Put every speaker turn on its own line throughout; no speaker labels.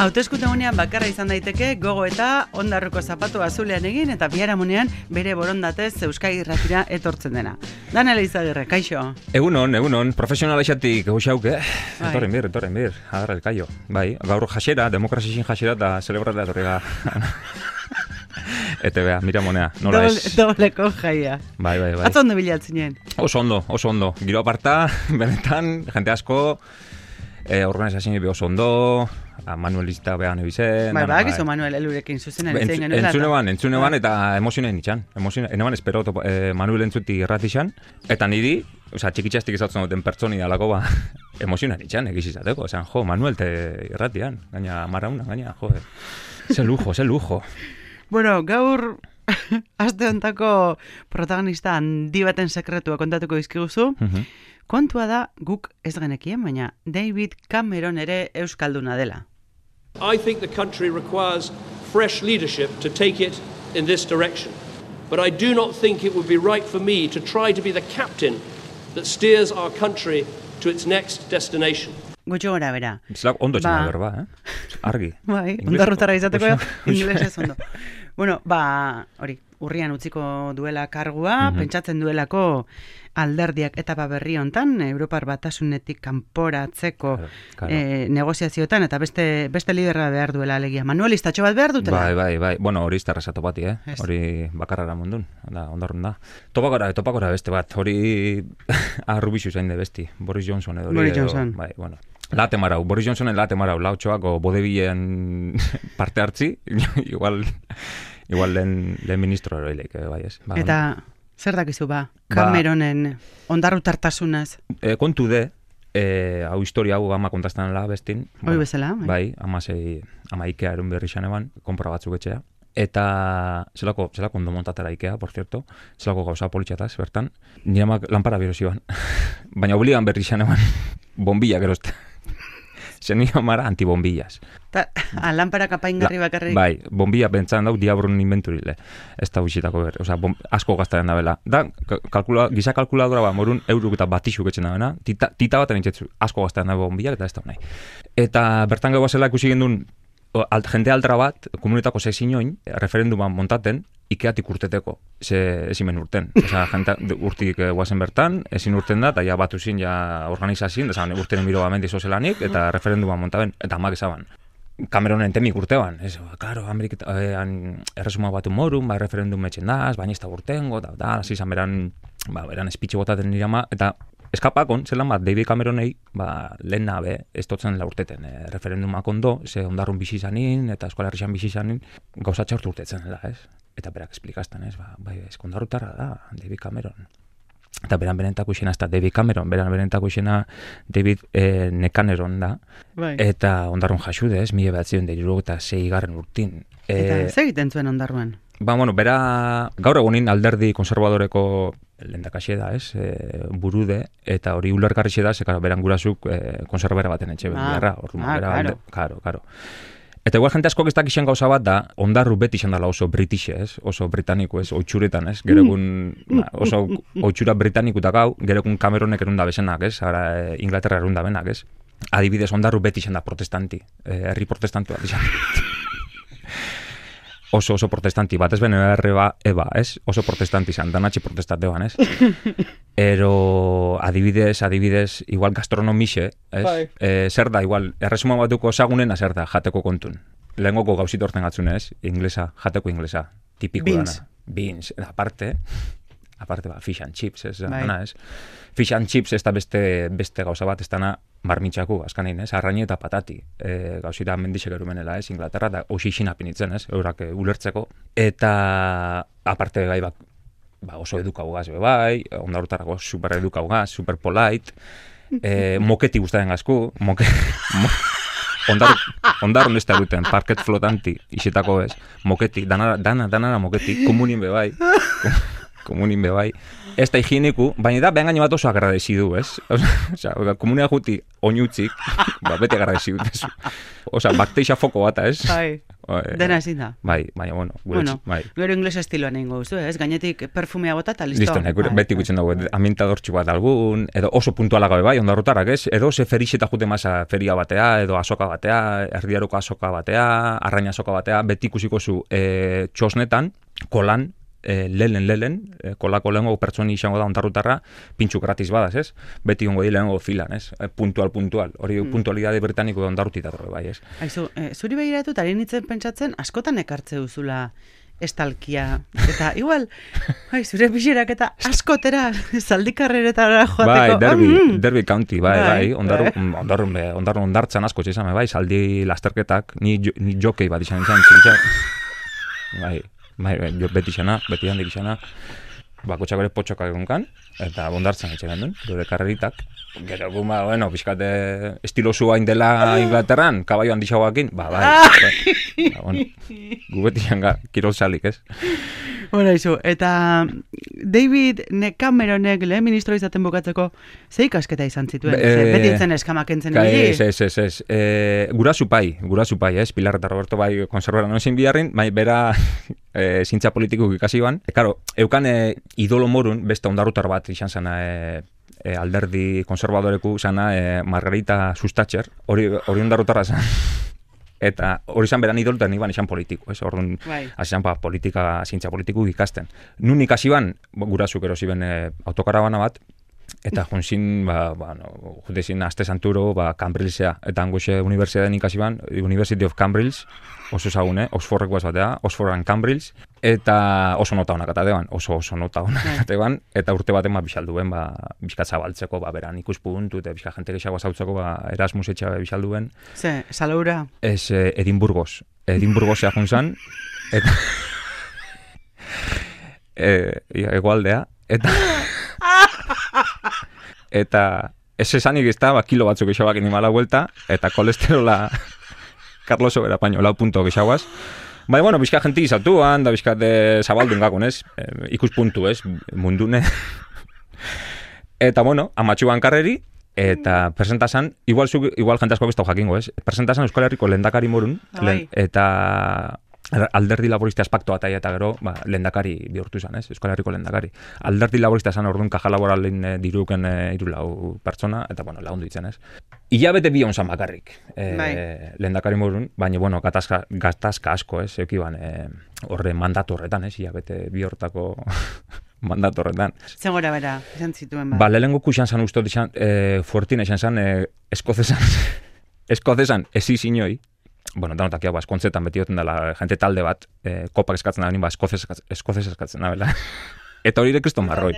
Hauteskundegunean bakarra izan daiteke gogo eta ondarruko zapatu azulean egin eta biharamunean bere borondatez Euskadi Irratira etortzen dena. Daniel Izagirre, kaixo.
Egunon, profesionalexatik goxauke. Etorren bir, agarra elkaio. Bai, gaur jasera, demokrazizin jasera eta celebrata etorrega. Ete bea, mira monea, nola ez.
Dobleko jaia.
Bai.
Atzo ondo bilatzen.
Oso ondo. Giro aparta, benetan, jente asko, organizazioa be oso ondo, Manuelista behan ebizen.
Bai, gizu Manuel elurekin zuzenen etzein genuela.
Entzuneban eta emozionen itxan. Eneban espero Manuel entzuti irratixan, eta niri, txikitxastik izatzen duten pertsoni dalako, emozionen itxan, egizizateko. Jo, Manuel te irratian, gaina marauna, gaina, jo, ze lujo.
Bueno, gaur aste hontako protagonista handi baten sekretua kontatuko dizkiguzu. Kontua da guk ez genekien, baina David Cameron ere euskalduna dela.
I think the country requires fresh leadership to take it in this direction. But I do not think it would be right for me to try to be the captain that steers our country to its next destination.
Gutxo gora bera.
Zilak ondo txena berba, Argi.
Bai, ondarrutara izateko inglesez ondo. Bueno, hori, urrian utziko duela kargua, pentsatzen duelako alderdiak etapa berri hontan, Europar Batasunetik kanporatzeko negoziazioetan, eta beste liderra behar duela alegia. Manuelistatxo bat behar dutela?
Bai. Bueno, hori izterreza topati, Hori bakarrara mundun, ondarrun da. Topakora beste bat, hori arrubixu zain de besti, Boris Johnson edo.
Boris Johnson.
Bai, bueno. Boris Johnsonen late marau, lautxoako bodebilen parte hartzi, igual lehen ministro eroileik, bai ez.
Eta zer dakizu Cameronen ondarrutartasunez?
Kontu de, hau historia hau ama kontastanela bestin.
Hoi bezala?
Bai, ama Ikea erun berri xan eban, konpora batzuk etxea. Eta zelako ondo montatera Ikea, por cierto, zelako gauza politxataz, bertan. Nire amak lanpara birozi ban. Baina obligan berri xan eban, bombilla gerozte. Zen nire amara antibombillas.
Lanpara kapaingarri bakarrik?
Bai, bombilla pentsaan dau diabrun inventurile. Ez da huixitako ber, asko gaztaren da bela. Da, giza kalkuladora morun euruk eta batixuk etxen da bena, tita baten entzetzu, asko gaztaren da bombillak eta ez da nahi. Eta bertan gau zela ikusi gendun, jende altra bat, komunitako sexinoin, referenduman montaten, Ikeatik urteteko, ezimen urten. Jente urtik guazen bertan, ezin urten da, eta ja batu zin, ja organizazin, urtenen biro bamendi zozelanik, eta referenduman montaben, eta amak ezaban. Cameronen temik urteban, claro, erresuma batu morun, referendum metxen daz, baina ez da urtengo, eta zizan beran espitxe botaten nire ama, eta eskapakon, zelan bat, David Cameronei, lehen nabe, ez totzen laurteten referendumak ondo, ze ondarrun bizi zanin, eta eskola herrixan bizi zanin, gauza txortu urtetzen dela, ez? Eta berak esplikazten, ez? Eskondarrutarra da, David Cameron. Eta beran benentako izena, ez da David Cameron, beran benentako izena David Nekaneron da. Bai. Eta ondarrun jasude, ez? 1976 urtin.
Eta zer egiten zuen ondarruan?
Bera, gaur egunin alderdi konservadoreko lehendakaxe da, ez? Burude, eta hori ulerkarrixe da, zekara beran gurazuk konservera baten etxe beharra. Karo. Eta igual jente asko ez dakixen gauza bat da, ondarru beti izan dela oso britixe, ez? Oso britaniko, ez? Oitxuretan, ez? Gerekun oso oitxura britanikutak hau, gerekun Cameronek erunda bezenak, ez? Ara Inglaterra erunda benak, ez? Adibidez, ondarru beti izan da protestanti, herri protestantu bat izan. Oso protestanti bat, ez bene eba, ez? Oso protestanti izan, danatxe protestate ban, ez? Ero, adibidez, igual gastronomixe, ez? Zer da, igual, erresuma batuko zagunena zer da, jateko kontun. Lehengoko gauzit orten gatzun, ez? Inglesa, jateko inglesa, tipiko dana. Beans. Aparte, fish and chips, ez? Ez? Fish and chips ez da beste gauza bat, ez dana marmitxaku, azkanein, ez? Arraini eta patati. Gauzira mendixek erumenela, ez? Inglaterra, da oxixin apinitzen, ez? Eurak ulertzeko. Eta, aparte gai oso edukaugaz, bai, ondarutarako super edukaugaz, super polite, moketi guztaren gazku, ondarrun ez da duten, parket flotanti, isetako ez, moketi, danara moketi, komunien be bai. komunin bebai. Ez da higieniku, baina da behan gaino bat oso agradecidu, ez? Osea, komunia juti oinutzik, beti agradecidu, ez? Osea, bakteixa foko bata, ez?
Dena ezin da.
Bai, baina,
Gero ingles estiloan egin gozu, ez? Gainetik perfumea bota eta listo.
Listo, beti gutzen dago, amintadortxu bat algun, edo oso puntuala gabe bai, ondarrotarak, ez? Edo ze ferixeta jute masa feria batea, edo azoka batea, erdiaroko azoka batea, arraina azoka batea, beti ikusiko zu txosnetan, kolan, lelen, kolako lehengo pertsoni izango da ondarrutarra, pintxu gratis badaz, ez? Beti gongo di lehengo filan, ez? Puntual. Hori puntualidade britaniko ondarrutit datorre, bai, ez?
Aizu, zuri behiratu, ari nintzen pentsatzen, askotan ekartze duzula estalkia. Eta, igual, zure pixerak eta askotera, zaldikarreretara joateko.
Bai, Derby County, bai, ondarrun ondartzan asko txezame, bai, zaldi lasterketak, ni jokei bat izan, bai, beti handik izana, bakotxak bere potxokak egunkan, eta bondartzen etxegan duen, dure karreritak. Gero guma, pixkate estilo zuain dela Inglaterran, kabaio handixauakin, bai, gu beti hanga, kirol salik, ez?
Eta David Cameronek lehen ministro izaten bukatzeko, ze ikasketa izan zituen? Beti ditzen eskamak entzen niri?
Ez. Gurasu pai, ez? Pilar eta Roberto bai konservara nozin biharrin, bai bera zintza politikuk ikasi ban. Karo, eukan idolo morun, beste ondarrutar bat izan zena alderdi konservadoreku zana Margarita Sustatxer, hori ondarrutarra zan. Eta hori izan beran idol, eta nik ban izan politiko, ez? Orduan, izan zintza politiku ikasten. Nun ikasi ban, gurasuk erosi ben autokarabana bat, eta junzin, jutezin aste santuro, Cambridgea, eta angoxe universidaden ikasi ban, University of Cambridge, oso zagune, Oxfordrek guaz batea, Oxford and Cambridge, eta oso nota honak atateban, oso nota honak atateban, eta urte baten bixalduen, bizkat zabaltzeko, beran ikuspuntu, eta bizkat jente gexagoa zautzeko, Erasmus etxabe bixalduen.
Ze, Salaura?
Ez, Edimburgos junzan, eta egoaldea, eta ez esanik ez da, kilo batzuk gexabak inimala vuelta, eta kolesterola Carlos Obera paño, 4 punto gexaguaz. Bai, bizka jenti izatuan, da bizka zabaldun gakon, ez? Ikuspuntu, ez? Mundune. Eta, amatxuan karreri, eta presentazan, igual jente asko bestau jakingo, ez? Presentazan Euskal Herriko lehendakari morun, eta alderdi laborista espaktoa eta gero, lehendakari bihurtu izan, ez? Euskal Herriko lehendakari. Alderdi laborista esan orduan kaja laboralen diruken 3 pertsona, eta, lagundu ditzen, ez? Ilabete bi onzan bakarrik, lehendakari morun, baina, gatazka asko, ez? Eukiban, horre mandatu horretan, ez? Ilabete bi hortako mandatu horretan.
Zen gora bera, izan zituen
lehenko kuxan zan ustot izan, fuertina izan zan, eskozesan ezi zinoi, danotak jau, eskontzetan beti duten dela jente talde bat, kopak eskatzen da benin, eskozez eskatzen da bela. Eta hori kristo marroi.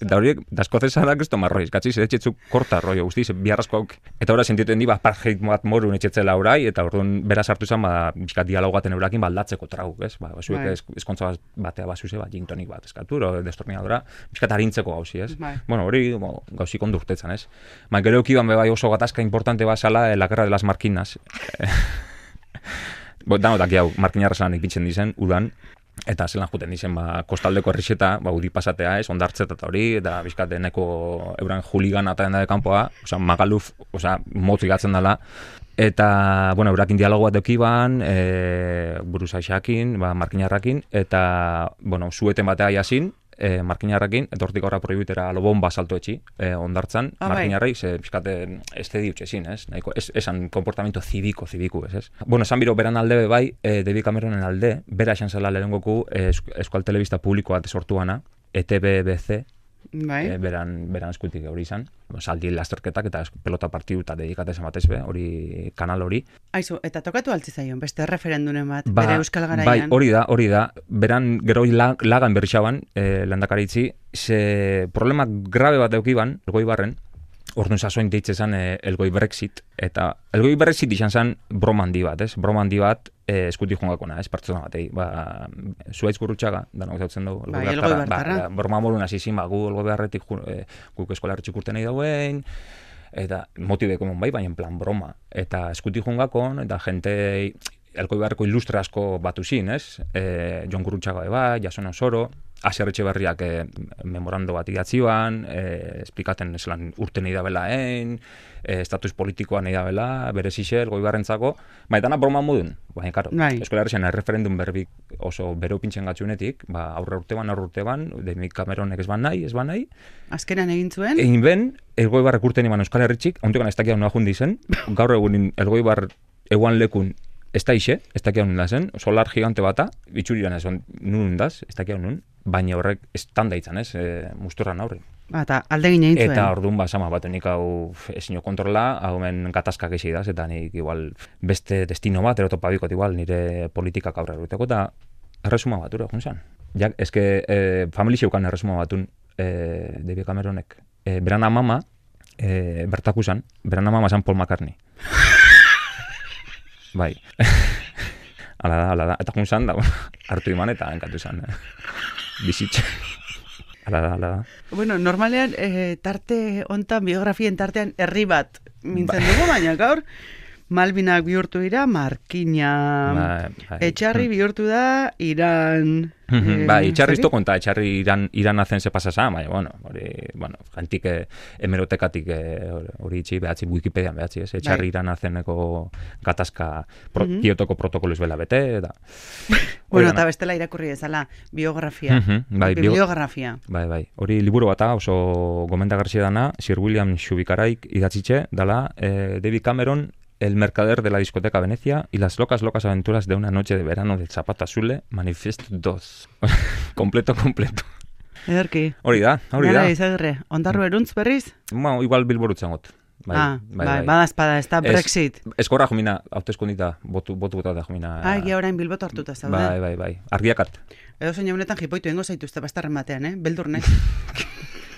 Da hori, da eskozeza da kristo marroi. Eskatzi, zedetxetzu korta roi, guztiz, biharrazko hauk. Eta hori sentituen di, apartheid bat morun etxetzela orai, eta orduan bera sartu izan, bizkat dialogaten eurakin baldatzeko trauk, ez? Zuek eskontza batea bazuse, gintonik bat eskatu, destornilladora, bizkat harintzeko gauzi, ez? Hori gauzi kondurtetzen, ez? Gero eukiban bebai oso gatazka importante bazala, la guerra de las marquinas. Danotak jau, markinarra zelanik bitzen dizen, udan, eta zelan juten dizen, kostaldeko herrixeta, udi pasatea, ez, ondartzeta eta hori, eta bizkat deneko euran juligan eta denda de kanpoa, magaluf, motzi gatzen dela, eta, eurakin dialogo bat eukiban, buruzaixakin, markinarrakin, eta, zueten batea jasin, markinarrakin, eta hortik aurra prohibitera lobomba salto etxi, ondartzan, markinarrei, bizkate ez te diutxezin, ez? Esan komportamento zibiku, ez? Esan biro beran alde bai, David Cameronen alde, bera esan zela lehengoku Euskal Telebista publikoa sortuana, ETB-BC, beran eskutik hori izan, saldi lasterketak eta pelota partidu eta dedikatezen batez hori kanal hori.
Aizu, eta tokatu altzizaion, beste referendunen bat, bere Euskal Garaian.
Hori da, beran gero lagan berrixaban, lehendakaritzi, ze problema grabe bat eukiban, Elgoibarren, orduan sasoin deitzezan Elgoi Brexit, eta Elgoi Brexit izan zen broma handi bat, ez? Broma handi bat eskuti jongakona, ez? Pertsona batei, Zuaitz Gurrutxaga, danok zautzen dugu, Elgoi Bertarra, broma morun hasi zin, gu Elgoi Berretik guk eskola herritxik urten nahi dauen, eta motibeko mon baina plan broma, eta eskuti jongakon, eta jente Elgoi Berreko ilustre asko batu zin, ez? Jon Gurrutxaga Jason Osoro, Asier Etxeberriak memorando bat idatzioan, esplikaten eslan urte nahi dabelaen, estatus politikoa nahi dabela, bere zixel, goibarrentzako, dana broma modun. Baina, karo, Euskal Herrian referendum berbik oso bero pintxen gatzunetik, aurre urteban, David Cameronek ez ban nahi.
Azkenan egin zuen?
Egin ben, Elgoibarrek urten iban Euskal Herritxik, hauntekan ez dakia noa jundi zen, gaur egunin Elgoibar eguan lekun ez da ixe, ez dakia nun da zen, solar gigante bata, bitxuriran ez nun daz, ez dakia nun, baina horrek estanda itzan ez, musturran aurre.
Eta alde gine egin zuen.
Eta orduan sama bat, nik hau ezin kontrola, hau men gatazkak ezi daz, eta nik igual beste destino bat, erotopa bikot igual, nire politikak aurre eruteko, eta erresuma bat, ura, junzan. Ja, eske famili xeukan erresuma batun David Cameronek. Beran amama, bertakusan, beran amama zan Paul McCartney. Bai. Ala da. Eta junzan da, hartu iman eta enkatu zan. Bizitxe. Ala da.
Bueno, normalean, tarte hontan, biografien tartean, herri bat mintzen dugu, baina gaur, Malvinak bihurtu dira, Markina, Etxarri bihurtu da, Iran...
Etxarri izto konta, Etxarri Iran hazen ze pasasa, baina, jantik hemerotekatik hori itxi behatzi, Wikipedian behatzi, Etxarri Iran hazeneko gatazka Kiotoko protokoloz bela bete, da.
Bueno, eta bestela irakurri ezala, biografia, bibliografia.
Bai, hori liburu bata oso gomendagarria dana, Sir William Shubikaraik idatzitxe, dala David Cameron, El mercader de la discoteca Venecia y las locas aventuras de una noche de verano del Zapato Azul, Manifest 2. Completo.
Ederki.
Hori da.
Gara izagirre, ondarru eruntz berriz?
Igual bilborutzen got.
Bai, badazpada, ez da Brexit.
Eskorra jomina, hauteskundita, botu da jomina.
Egia orain bilbotu hartuta zaude.
Bai, argiakat.
Edo zein honetan jipoitu engo zaituzte bastarren batean, beldurne.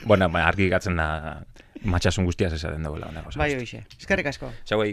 Bueno, argi gatzen da, matxasun guztiaz esaten dagoela.
Bai, hoxe. Eskerrik asko.
Txau,